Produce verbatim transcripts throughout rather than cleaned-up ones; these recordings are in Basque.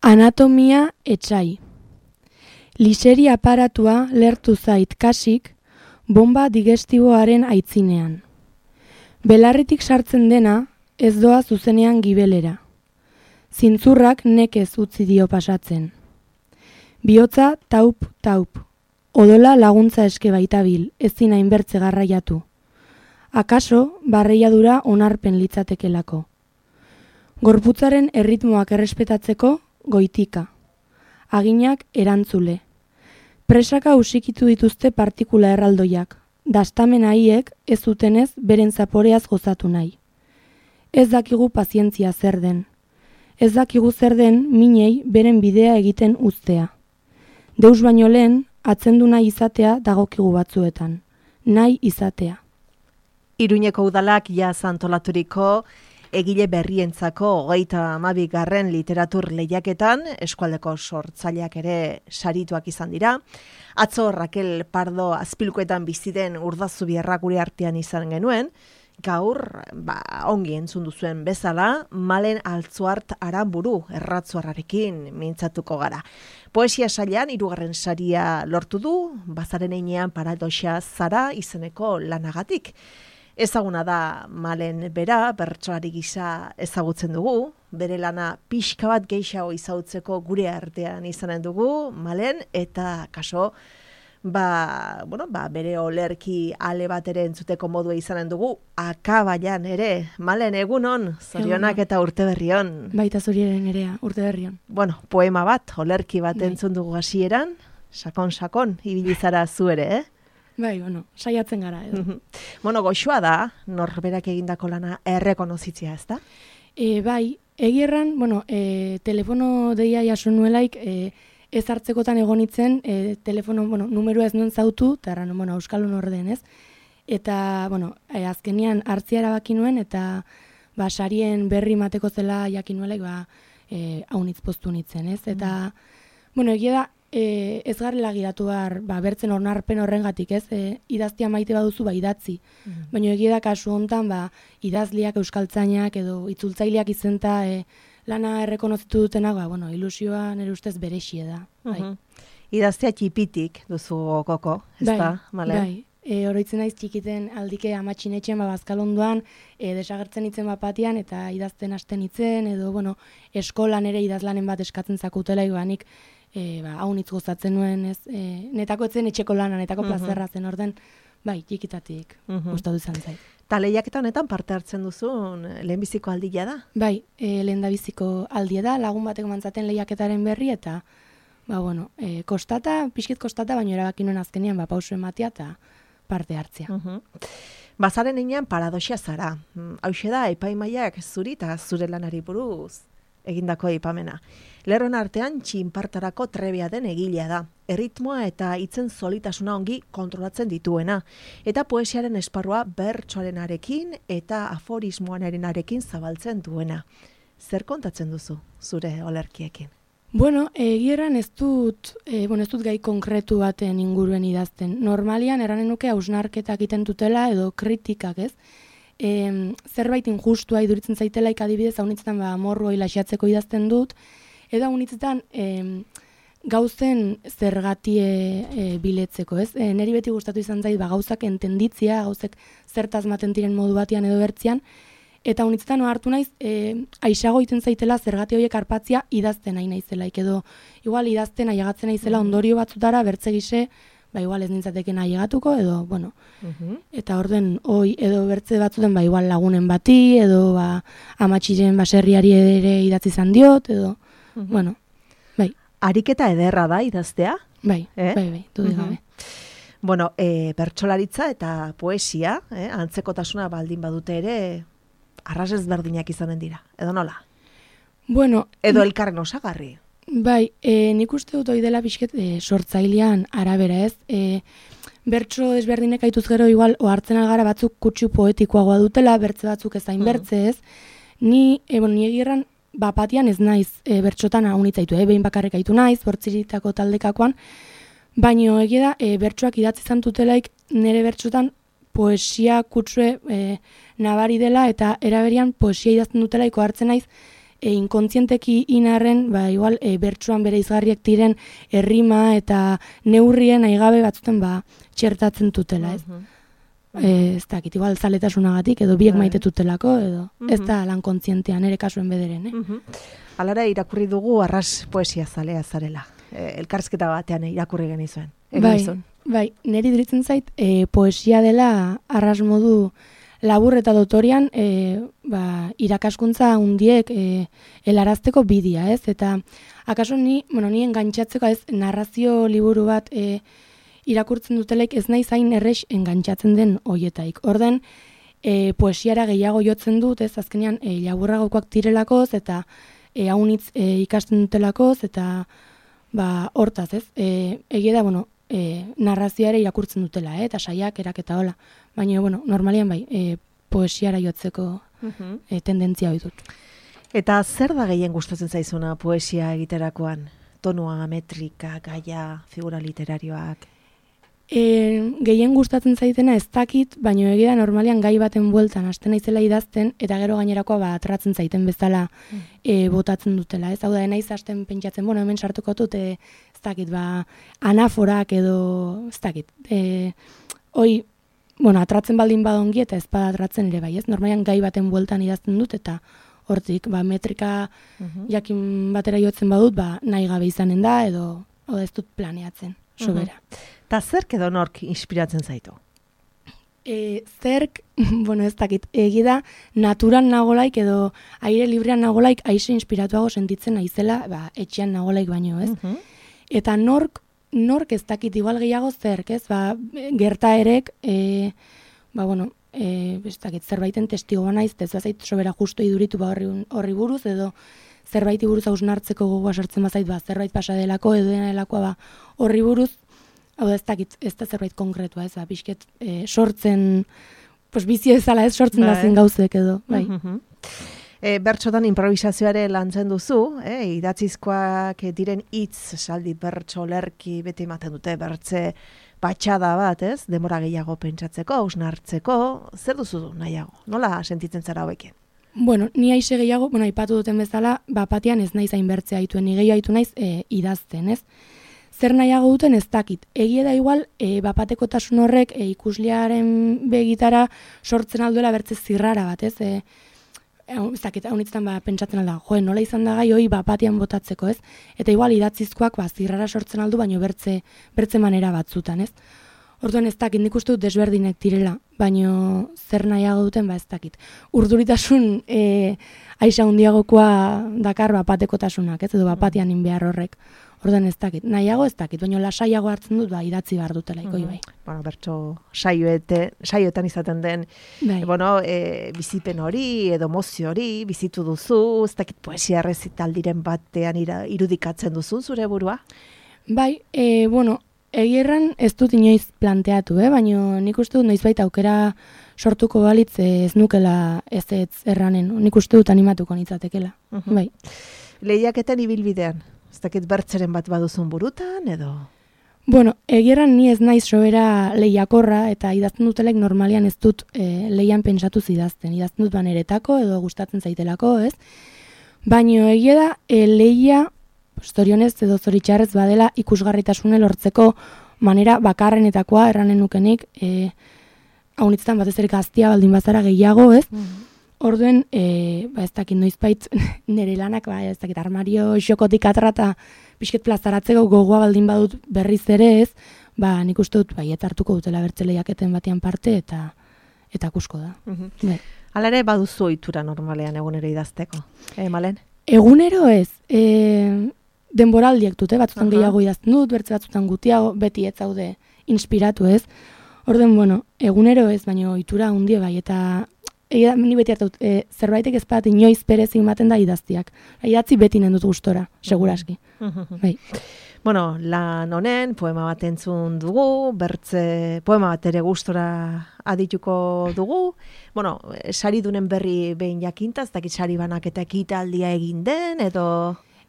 Anatomia etsai. Liseri aparatua lertu zait kasik, bomba digestiboaren aitzinean. Belarritik sartzen dena, ez doa zuzenean gibelera. Zintzurrak nekez utzi dio pasatzen. Bihotza taup, taup. Odola laguntza eske baitabil, ezin hainbertze garraiatu. Akaso, barreiadura onarpen litzatekelako. Gorputzaren erritmoak errespetatzeko, goitika. Aginak erantzule. Presaka usikitu dituzte partikula erraldoiak. Dastamen haiek ez zutenez beren zaporeaz gozatu nahi. Ez dakigu pazientzia zer den. Ez dakigu zer den minei beren bidea egiten uztea. Deus baino lehen, atzendu nahi izatea dagokigu batzuetan. Nahi izatea. Iruñeko udalak jaz antolaturiko egile berrientzako hogeita hamabigarren literatur lehiaketan eskualdeko sortzaileak ere sarituak izan dira. Atzo Raquel Pardo Azpilkuetan bizi den Urdazubierra gure artean izan genuen. Gaur, ba, ongi entzun duzuen bezala, Malen Altzuart Aranburu erratzuarrarekin mintzatuko gara. Poesia sailean hirugarren saria lortu du, bazaren einean paradoxa zara izeneko lanagatik. Ezaguna da Malen bera, bertsolari gisa ezagutzen dugu, bere lana pixka bat gehiago izagutzeko gure artean izanen dugu, Malen, eta kaso, ba, bueno, ba, bere olerki ale bat ere entzuteko modua izanen dugu, akabaian ere. Malen, egunon, zorionak eta urte berrion. Baita zuriaren erea, urte berrion. Bueno, poema bat, olerki bat entzun dugu hasieran, sakon-sakon, ibilizara zu ere, eh? Bai, bueno, saiatzen gara edo. Bueno, goxua da, norberak egindako lana errekonozitzia, ez da? E, bai, egierran, bueno, e, telefono deia jaso nuelaik, e, ez hartzekotan egonitzen, e, telefono, bueno, numeroa ez nuen zautu, eta erran, bueno, euskalun orden, ez? Eta, bueno, e, azkenian hartzia erabaki nuen, eta, ba, sarien berri mateko zela jakin nuelaik, ba, e, haunitz postu nitzen, ez? Eta, mm. bueno, egia da, E, ez garrela giratu behar, ba, bertzen onarpen horrengatik, ez? E, idaztia maite baduzu, ba, idatzi. Mm. Baina egia da kasu hontan, ba, idazliak, euskaltzainak edo itzultzaileak izenta e, lana errekonozitu dutenak, ba, bueno, ilusioa nire ustez berexie da. Bai. Uh-huh. Idaztia txipitik duzu koko, ez bai, da? Male? Bai, e, oroitzen naiz txikiten aldike amatxinetxean, ba, bazkalondoan, e, desagertzen itzen bapatian, eta idazten hasten itzen, edo, bueno, eskolan ere idazlanen bat eskatzen zakutela, ibanik, E, ba, haunitz gozatzen nuen, ez, e, netako etzen etxeko lana, netako uh-huh. plazerra zen orden, bai, txikitatik uh-huh. gustatu izan zait. Ta lehiaketa honetan parte hartzen duzun lehenbiziko aldia da? Bai, e, lehendabiziko aldia da, lagun bateko mantzaten lehiaketaren berri, eta, ba, bueno, e, kostata, pixkit kostata, baina erabaki nuen azkenean, ba, pausu ematea eta parte hartzea. Uh-huh. Bazaren einean paradoxia zara. Hauxe da, epaimaiak zuri eta zure lanari buruz egindako aipamena. Lerron artean txinpartarako trebea den egilea da. Erritmoa eta hitzen solitasuna ongi kontrolatzen dituena. Eta poesiaren esparrua bertsoarenarekin eta aforismoarenarekin zabaltzen duena. Zer kontatzen duzu zure olerkiekin? Bueno, egieran ez dut, e, bueno, ez dut gai konkretu baten inguruen idazten. Normalian eranen nuke hausnarketak egiten dutela edo kritikak, ez? E, zerbait injustua iduritzen zaitelaik adibidez, haunitzetan ba, morro ilaxatzeko idazten dut, edo haunitzetan e, gauzen zergatie e, biletzeko, ez? E, neri beti gustatu izan zait, ba, gauzak entenditzia, gauzek zertaz maten diren modu batean edo bertzian, eta haunitzetan hartu naiz, e, aisago iten zaitela zergati horiek arpatzia idazten nahi naizelaik, edo igual idazten aiagatzen naizela ondorio batzutara bertze gise, ba igual ez nintzateken aiegatuko, edo, bueno, uh-huh. eta orden, oi, edo bertze batzuten, ba igual lagunen bati, edo, ba, amatxiren baserriari ere idatzi izan diot, edo, uh-huh. bueno, bai. Ariketa ederra da idaztea? Bai, eh? bai, bai, dudik uh-huh. gabe. Bueno, e, bertsolaritza eta poesia, eh, antzekotasuna baldin badute ere, arras ezberdinak izanen dira, edo nola? Bueno, edo elkarren osagarri? Bai, e, nik uste dut hori dela pixket e, sortzailean arabera, ez? E, bertso desberdinek aituz gero igual ohartzen algara batzuk kutsu poetikoagoa dutela, bertze batzuk ezain bertze, ez? Ni, e, bueno, ni egirran bapatian ez naiz e, bertxotan haunitzaitu, e, behin bakarrik aitu naiz, bortziritako taldekakoan, baino egia da, e, bertsoak idatzi zantutelaik nire bertxotan poesia kutsue e, nabari dela, eta eraberian poesia idazten dutelaiko hartzen naiz, e, inkontzienteki inarren, ba, igual, e, bertsuan bere izgarriak diren errima eta neurrien aigabe batzuten, ba, txertatzen tutela, ez? Mhm. E, ez dakit, igual zaletasunagatik, edo biek Bai. maite tutelako, edo ez Mhm. da lan kontzientean, ere kasuen bederen, eh? Mhm. Alara irakurri dugu arras poesia zalea zarela. E, elkarrizketa batean irakurri genizuen. Egin Bai, nizun. bai, niri diritzen zait, e, poesia dela arras modu labur eta dotorian e, ba, irakaskuntza hundiek e, helarazteko bidia, ez? Eta akaso ni, bueno, ni engantxatzeko ez narrazio liburu bat e, irakurtzen dutelaik ez nahi zain errex engantxatzen den hoietaik. Orden, e, poesiara gehiago jotzen dut, ez? Azkenean, e, laburragokoak direlakoz eta e, haunitz e, ikasten dutelakoz eta ba, hortaz, ez? E, egia da, bueno, e, narrazioare irakurtzen dutela, eh? Eta saiak, eraketa hola. Baina, bueno, normalian bai, e, poesiara jotzeko Mhm. e, tendentzia hori dut. Eta zer da gehien gustatzen zaizuna poesia egiterakoan? Tonua, metrika, gaia, figura literarioak? E, gehien gustatzen zaitena ez dakit, baina egia da normalian gai baten bueltan hasten naizela idazten, eta gero gainerakoa ba, atratzen zaiten bezala e, botatzen dutela. Ez hau da, naiz hasten pentsatzen, bueno, hemen sartuko dut, e, ez dakit, ba, anaforak edo, ez dakit, e, hoi, bueno, atratzen baldin badongi eta ez bada atratzen ere bai, ez? Normalian gai baten bueltan idazten dut, eta hortik, ba, metrika jakin batera jotzen badut, ba, nahi gabe izanen da, edo, edo ez dut planeatzen, sobera. Ta zerk edo nork inspiratzen zaitu? E, zerk, bueno, ez dakit, egi da, naturan nagolaik edo aire librean nagolaik aize inspiratuago sentitzen naizela, ba, etxean nagolaik baino, ez? Mhm. Eta nork, nork ez dakit, igual gehiago zerk, ez? Ba, gertaerek, e, ba, bueno, e, ez dakit, zerbaiten testigo banaiz, ez bazait sobera justo iduritu ba horri, horri buruz, edo zerbaiti buruz hausnartzeko gogoa sartzen bazait, ba, zerbait pasa delako, edo dena delakoa, ba, horri buruz, hau da ez dakit, ez da zerbait konkretua, ez, ba, pixket e, sortzen, pues bizi ezala ez sortzen Bai. da zen gauzek edo, bai. Mhm. E, bertxotan improvisazioare lantzen duzu, eh? Idatzizkoak diren hitz, saldi, bertso, lerki, beti ematen dute, bertze batxada bat, ez? Demora gehiago pentsatzeko, hausnartzeko, zer duzu nahiago? Nola sentitzen zara hauekin? Bueno, ni aixe gehiago, bueno, aipatu duten bezala, bapatean ez naiz hain bertzea aituen, ni gehiago aitu naiz e, idazten, ez? Zer nahiago duten ez dakit. Egia da igual, e, bapatekotasun horrek e, ikuslearen begitara sortzen alduela bertze zirrara bat, ez? E, ez dakit, haunitzetan ba, pentsatzen alda, joe, nola izan da gai hoi bapatean botatzeko, ez? Eta igual idatzizkoak ba, zirrara sortzen aldu, baino bertze, bertze manera batzutan, ez? Orduan ez dakit, nik uste dut desberdinek direla, baino zer nahiago duten, ba ez dakit. Urduritasun e, aixa hundiagokoa dakar bapatekotasunak, ez? Edo bapatean inbehar horrek. Orduan ez dakit, nahiago ez dakit, baina lasaiago hartzen dut, ba, idatzi behar dutela, ikoi bai. Bueno, bertso saioete, saioetan izaten den, Bai. e, bueno, e, bizipen hori, edo mozio hori, bizitu duzu, ez dakit poesia errezitaldiren batean ira, irudikatzen duzu zure burua? Bai, e, bueno, egierran ez dut inoiz planteatu, eh? Baina nik uste dut noizbait aukera sortuko balitz eh, ez nukela ez ez erranen, nik uste dut animatuko nitzatekela, Mhm. bai. Lehiaketen ibilbidean, ez dakit bertzeren bat baduzun burutan, edo? Bueno, egierran ni ez naiz sobera lehiakorra eta idazten dutelek normalian ez dut e, lehian pentsatu idazten. Idazten dut baneretako edo gustatzen zaitelako, ez? Baino egia da e, lehia, zorionez edo zoritxarrez badela ikusgarritasune lortzeko manera bakarrenetakoa erranen nukenik, e, haunitzetan batez ere gaztia baldin bazara gehiago, ez? Orduen, e, ba ez dakit noizbait nire lanak, ba ez dakit armario xokotik atrata pixket plazaratzeko gogoa baldin badut berriz ere ez, ba nik uste dut baiet hartuko dutela bertze lehiaketen batean parte eta eta kusko da. Mhm. Bai. Hala ere baduzu ohitura normalean egunero idazteko, eh, Malen? Egunero ez, e, denboraldiek dute, batzutan Aha. gehiago idazten dut, bertze batzutan gutiago, beti ez zaude inspiratu ez. Orden, bueno, egunero ez, baina ohitura handie bai, eta egia, ni beti hartu, e, zerbaitek ez bat inoiz perezi ematen da idaztiak. Idatzi beti nendut gustora, seguraski. Bai. Bueno, lan honen poema bat entzun dugu, bertze poema bat ere gustora adituko dugu. Bueno, saridunen berri behin jakinta, ez dakit sari banaketa ekitaldia egin den, edo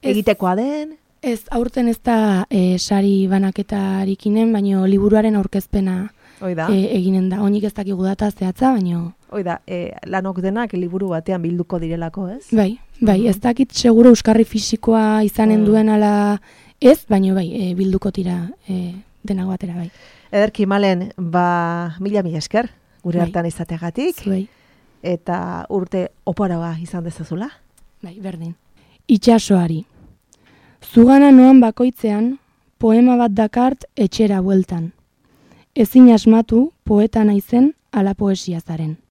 Ez. egitekoa den. Ez, aurten ez da e, sari banaketarik,inen, baino liburuaren aurkezpena Hoi da, e, eginen da. Onik ez dakigu data zehatza, baino hoi da, e, lanok denak liburu batean bilduko direlako, ez? bai, Bai, ez dakit seguro euskarri fisikoa izanen Mm. duen ala ez, baina bai, e, bilduko tira e, denago batera bai. Ederki Malen, ba, mila mila esker, gure Bai. hartan izategatik, Zuei, eta urte oparagoa izan dezazula. bai, berdin. Itxasoari. Zugana noan bakoitzean, poema bat dakart etxera bueltan. Ezin asmatu poeta naizen ala poesia zaren.